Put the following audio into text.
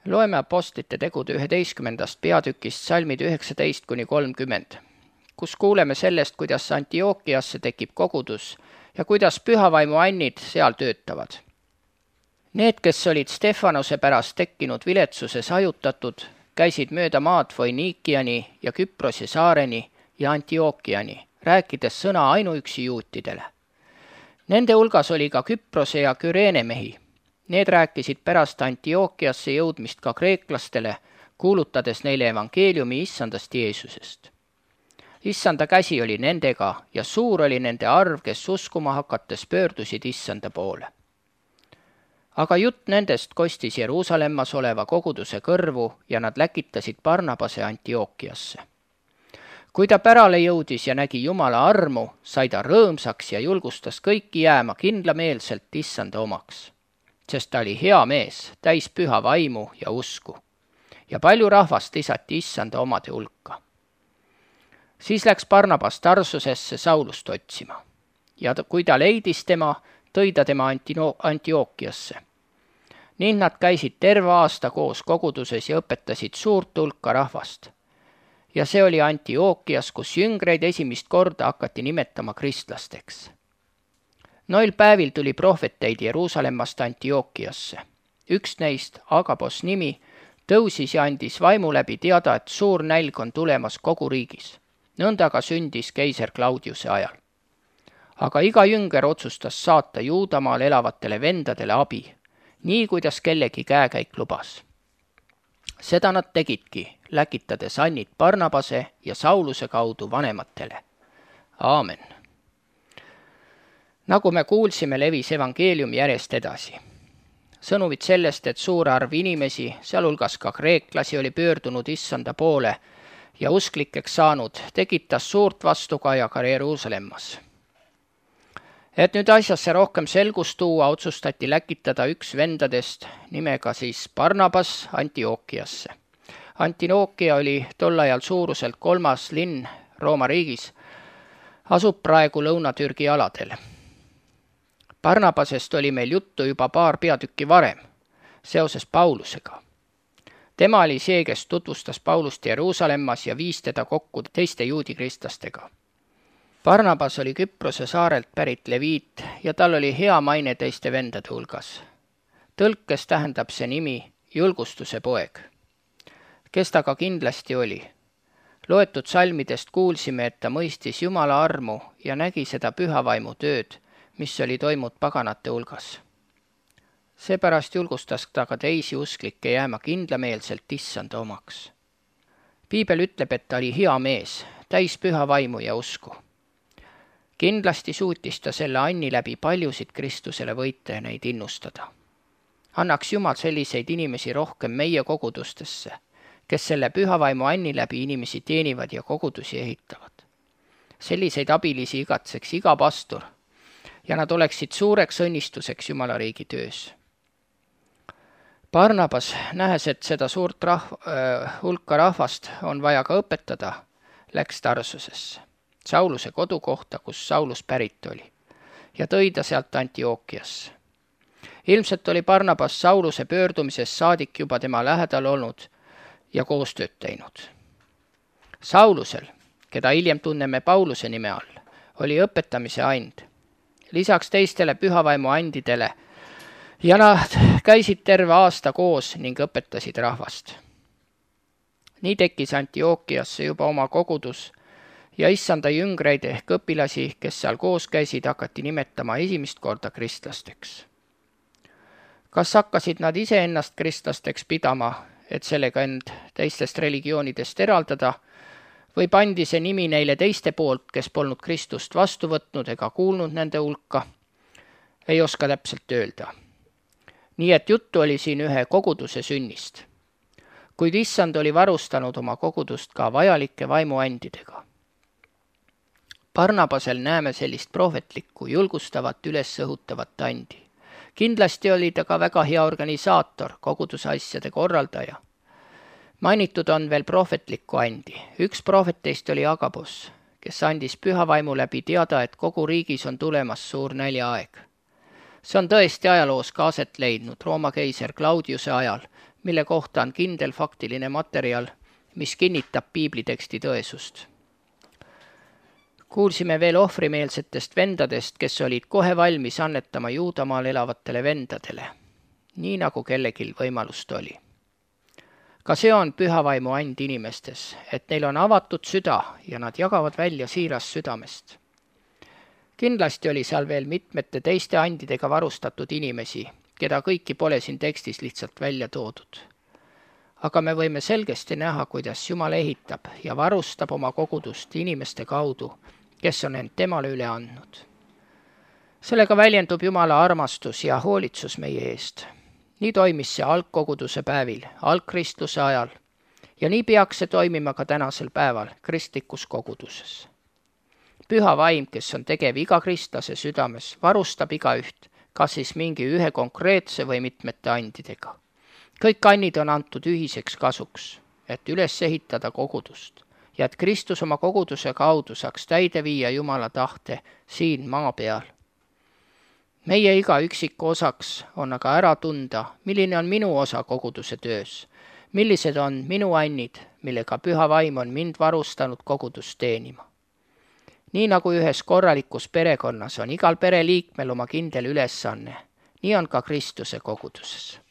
Loeme Apostlite tegude 11. peatükist salmid 19–30, kus kuuleme sellest, kuidas Antiookiasse tekib kogudus ja kuidas pühavaimu annid seal töötavad. Need, kes olid Stefanose pärast tekkinud viletsuses hajutatud, käisid mööda maad Foiniikiani ja Küprose saareni ja Antiookiani, rääkides sõna ainuüksi juutidele. Nende hulgas oli ka Küprose ja Küreene mehi. Need rääkisid pärast Antiookiasse jõudmist ka kreeklastele, kuulutades neile evangeeliumi issandast Jeesusest. Issanda käsi oli nendega ja suur oli nende arv, kes uskuma hakates pöördusid issanda poole. Aga jutt nendest kostis Jeruusalemmas oleva koguduse kõrvu ja nad läkitasid Barnabase Antiookiasse. Kui ta pärale jõudis ja nägi Jumala armu, sai ta rõõmsaks ja julgustas kõiki jääma kindlameelselt issanda omaks, sest ta oli hea mees, täis püha vaimu ja usku. Ja palju rahvast lisati issanda omade hulka. Siis läks Barnabas Tarsusesse Saulust otsima ja kui ta leidis tema, tõi ta tema Antiookiasse. Nii nad käisid terve aasta koos koguduses ja õpetasid suurt hulka rahvast. Ja see oli Antiookias, kus jüngreid esimest korda hakati nimetama kristlasteks. Noil päevil tuli prohveteid Jeruusalemmast Antiookiasse. Üks neist, Agabos nimi, tõusis ja andis vaimu läbi teada, et suur nälg on tulemas kogu riigis. Nõnda ka sündis keiser Claudiuse ajal. Aga iga jünger otsustas saata Juudamaal elavatele vendadele abi, nii kuidas kellegi käekäik lubas. Seda nad tegidki, läkitades annid Barnabase ja Sauluse kaudu vanematele. Aamen. Nagu me kuulsime, levis evangeelium järjest edasi. Sõnumid sellest, et suur arv inimesi, sealhulgas ka kreeklasi, oli pöördunud issanda poole ja usklikeks saanud, tekitas suurt vastukaja ka Jeruusalemmas. Et nüüd asjasse rohkem selgust tuua, otsustati läkitada üks vendadest nimega siis Barnabas Antiookiasse. Antiookia oli tol ajal suuruselt 3. linn Rooma riigis, asub praegu Lõuna-Türgi aladel. Barnabasest oli meil juttu juba paar peatükki varem, seoses Paulusega. Tema oli see, kes tutvustas Paulust Jeruusalemmas ja viis teda kokku teiste juudikristlastega. Barnabas oli Küprose saarelt pärit leviit ja tal oli hea maine teiste vendade hulgas. Tõlkes tähendab see nimi julgustuse poeg, kes ta ka kindlasti oli. Loetud salmidest kuulsime, et ta mõistis Jumala armu ja nägi seda pühavaimu tööd, mis oli toimunud paganate hulgas. Seepärast julgustas ta ka teisi usklikke jääma kindlameelselt issanda omaks. Piibel ütleb, et ta oli hea mees, täis püha vaimu ja usku. Kindlasti suutis ta selle anni läbi paljusid Kristusele võita ja neid innustada. Annaks Jumal selliseid inimesi rohkem meie kogudustesse, kes selle pühavaimu anni läbi inimesi teenivad ja kogudusi ehitavad. Selliseid abilisi igatseks iga pastor ja nad oleksid suureks õnnistuseks Jumala riigi töös. Barnabas, nähes, et seda suurt hulka rahvast on vaja ka õpetada, läks Tarsusesse, Sauluse kodukohta, kus Saulus pärit oli, ja tõi ta sealt Antiookiasse. Ilmselt oli Barnabas Sauluse pöördumisest saadik juba tema lähedal olnud ja koostööd teinud. Saulusel, keda hiljem tunneme Pauluse nime all, oli õpetamise and. Lisaks teistele pühavaimu andidele ja nad käisid terve aasta koos ning õpetasid rahvast. Nii tekkis Antiookiasse juba oma kogudus ja issanda jüngreid ehk õpilasi, kes seal koos käisid, hakati nimetama esimest korda kristlasteks. Kas hakkasid nad iseennast kristlasteks pidama, et sellega end teistest religioonidest eraldada, või pandi see nimi neile teiste poolt, kes polnud Kristust vastu võtnud ega kuulnud nende hulka, ei oska täpselt öelda. Nii et juttu oli siin ühe koguduse sünnist, kuid issand oli varustanud oma kogudust ka vajalike vaimuandidega. Barnabasel näeme sellist prohvetlikku, julgustavat, ülesõhutavat andi. Kindlasti oli ta ka väga hea organisaator, koguduse asjade korraldaja. Mainitud on veel prohvetlikku andi. Üks prohveteist oli Agabos, kes andis pühavaimu läbi teada, et kogu riigis on tulemas suur näljaaeg. See on tõesti ajaloos ka aset leidnud Rooma keiser Claudiuse ajal, mille kohta on kindel faktiline materjal, mis kinnitab piibliteksti tõesust. Kuulsime veel ohvrimeelsetest vendadest, kes olid kohe valmis annetama Juudamaal elavatele vendadele, nii nagu kellegil võimalust oli. Ka see on püha vaimu and inimestes, et neil on avatud süda ja nad jagavad välja siirast südamest. Kindlasti oli seal veel mitmete teiste andidega varustatud inimesi, keda kõiki pole siin tekstis lihtsalt välja toodud. Aga me võime selgesti näha, kuidas Jumal ehitab ja varustab oma kogudust inimeste kaudu, kes on end temale üle andnud. Sellega väljendub Jumala armastus ja hoolitsus meie eest. Nii toimis see algkoguduse päevil, algkristluse ajal ja nii peaks see toimima ka tänasel päeval kristlikus koguduses. Püha vaim, kes on tegev iga kristlase südames, varustab igaüht, kas siis mingi ühe konkreetse või mitmete andidega. Kõik annid on antud ühiseks kasuks, et üles ehitada kogudust ja et Kristus oma koguduse kaudu saaks täide viia Jumala tahte siin maa peal. Meie iga üksiku osaks on aga ära tunda, milline on minu osa koguduse töös, millised on minu annid, millega püha vaim on mind varustanud kogudust teenima. Nii nagu ühes korralikus perekonnas on igal pereliikmel oma kindel ülesanne, nii on ka Kristuse koguduses.